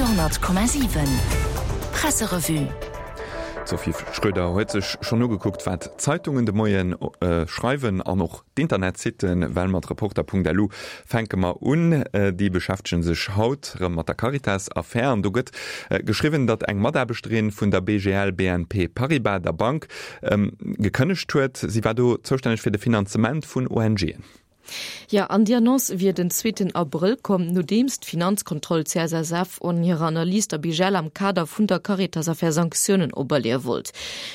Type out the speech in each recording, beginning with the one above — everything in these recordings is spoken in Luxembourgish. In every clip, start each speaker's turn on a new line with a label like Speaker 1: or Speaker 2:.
Speaker 1: Radio 10,7 Presserevue.
Speaker 2: D'Sophie Schröder huet sech schonn ugekuckt, wat d'Zeitungen de Moien schreiwen an och d'Internetsitten, well mat Reporter.lu fänke mer un. Déi beschäftege sech haut erëm mat der Caritas-Affär an do gëtt geschriwwen, datt eng Mataarbechterin vun der BGL BNP Paribas, der Bank, gekënnegt huet. Si war do zoustänneg fir de Finanzement vun ONGen.
Speaker 3: Jo, an déi Annonce wier den zweeten Abrëll komm, nodeems d'Finanzkontroll CSSF an hirer Analys der BGL am Kader vun der Caritas-Affär Sanktiounen operleeë wollt.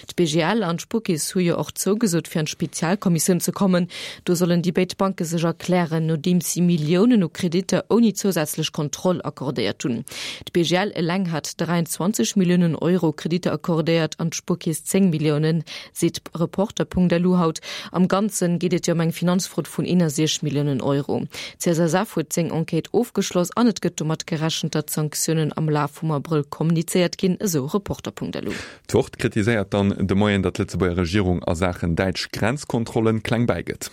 Speaker 3: D'BGL an d'Spuerkeess hu jo och zougesot, fir an d'Spezialkommissioun ze kommen. Do sollen déi béid Banke sech erklären, nodeems si Milliounen u Kreditter ouni zousätzlech Kontroll accordéiert hunn. D'BGL eleng hat 23 Milliounen Euro Kreditter accordéiert an d'Spuerkeess 10 Milliounen. Seet Reporter.lu haut. Am Ganze geet et jo ëm eng Finanzfrod vun 61 Milliounen Euro. D'CSSF huet seng Enquête ofgeschloss an et gëtt domat gerechent, datt d'Sanktiounen am Laf vum Abrëll kommunizéiert ginn, esou Reporter.lu.
Speaker 2: D'Wort kritiséiert dann de Moien, datt d'Lëtzebuerger Regierung a Saachen däitsch Grenzkontrollen kleng bäigëtt.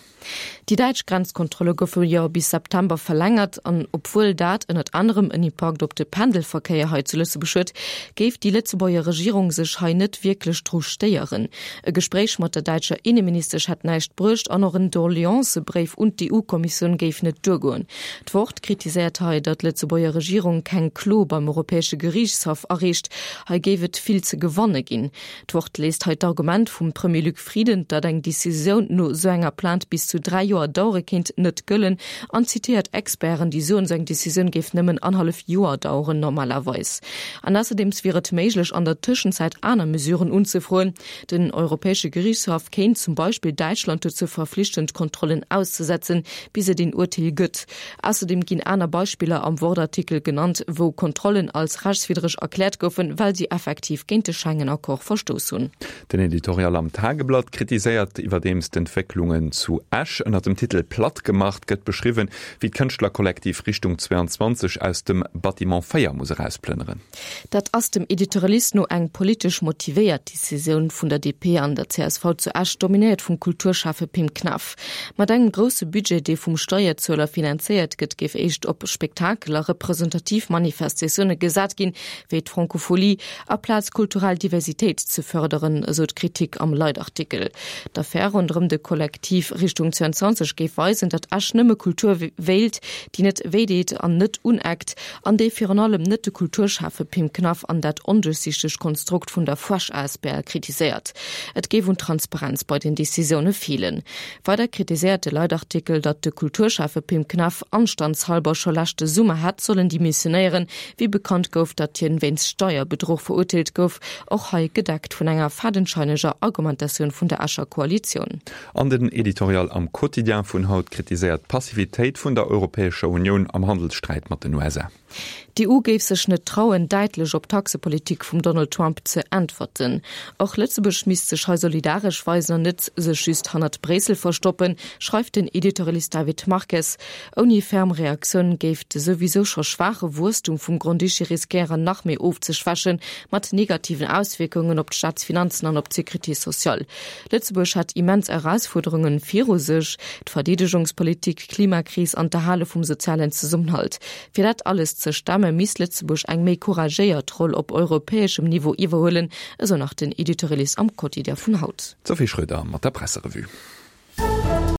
Speaker 3: Déi däitsch Grenzkontrolle goufe jo bis September verlängert an obwuel dat ënnert anerem en Impakt op de Pendelverkéier hei zu Lëtzebuerg huet, géif déi Lëtzebuerger Regierung sech hei net wierklech dru stéieren. E Gespréich mat der däitscher Inneministesch hätt näischt bruecht an och en Doleancëbréif un d'EU-Kommissioun géif net duergoen. D'Wort kritiséiert hei, datt d'Lëtzebuerger Regierung keng Klo beim Europäesche Geriichtshaff areecht. Hei géif et vill ze gewanne ginn. D'Wort léisst hei d'Argument vum Premier Luc Frieden, datt eng Decisioun no esou enger Plainte bis zu 3 Joer dauere kéint, net gëllen an zitéiert Experten, déi soen, esou eng Decisioun géif nëmmen annerhallef Joer daueren normalerweis. An ausserdeems wier et méiglech, an der Tëschenzäit aner Mesuren unzefroen. Den Europäesche Geriichtshaff kéint zum Beispill Däitschland dozou verflichten, d'Kontrollen auszesetzen, bis et een Urteel gëtt. Ausserdeem ginn aner Beispiller am Wort-Artikel genannt, wou Kontrollen als rechtswiddreg erkläert goufen, well si effektiv géint de Schengen-Accord verstouss hunn.
Speaker 2: Den Editorial am Tageblatt kritiséiert iwwerdeems d'Entwécklungen zu Esch. Ënner dem Titel Platt gemacht gëtt beschriwwen, wéi d'Kënschtlerkollektiv Richtung 22 aus dem Bâtiment 4 muss erausplënneren.
Speaker 3: Dat ass dem Editorialist no eng politesch motivéiert Decisioun vun der DP an der csv zu Esch, dominéiert vum Kulturschäffe Pim Knaff. Mat engem grousse Budget, dee vum Steierzueler finanzéiert gëtt, géif éischt op Spektakel a representativ Manifestatioune gesat ginn, wéi d'Francophonie, aplaz kulturell Diversitéit ze fërderen, esou d'Kritik am Leitartikel. D'Affär ronderëm de Kollektiv Richtung 22 géif weisen, datt Esch nëmme Kultur wéilt, déi net wéideet an net uneckt, an déi virun allem net de Kulturschäffe Pim Knaff an dat onduerchsichtegt Konstrukt vun der Fuersch asbl kritiséiert. Et géif un Transparenz bei den Decisioune feelen. Weider kritiséiert de Leitartikel, datt de Kulturschäffe Pim Knaff anstandshalber scho leschte Summer hätt sollen demissionéieren, wéi bekannt gouf, datt hien wéinst Steierbedruch verurteelt gouf, och hei gedeckt vun enger fadenscheineger Argumentatioun vun der Escher Koalitioun.
Speaker 2: An den Editorial am Quotidien vun haut kritiséiert d'Passivitéit vun der Europäescher Unioun am Handelssträit mat den USA.
Speaker 3: D'EU géif sech net trauen, däitlech op d'Taxepolitik vum Donald Trump ze äntwerten. Och Lëtzebuerg misst sech hei solidaresch weisen an net sech just hannert Bréissel verstoppen, schreift den Editorialist David Marques. Ouni ferm Reaktioun géif de souwisou scho schwaache Wuesstum vum Grand-Duché riskéieren, nach méi ofzeschwächen, mat negativen Auswierkungen op d'Staatsfinanzen an op d'Sécurité sociale. Lëtzebuerg hätt immens Erausfuerderungen viru sech, d'Verdeedegungspolitik, d'Klimakris an d'Erhale vum sozialen Zesummenhalt. Fir dat alles ze stemme misst Lëtzebuerg eng méi couragéiert Roll op europäeschem Niveau iwwerhuelen, esou nach den Editorialist am Quotidien vun haut.
Speaker 2: D'Sophie Schröder mat der Presserevue.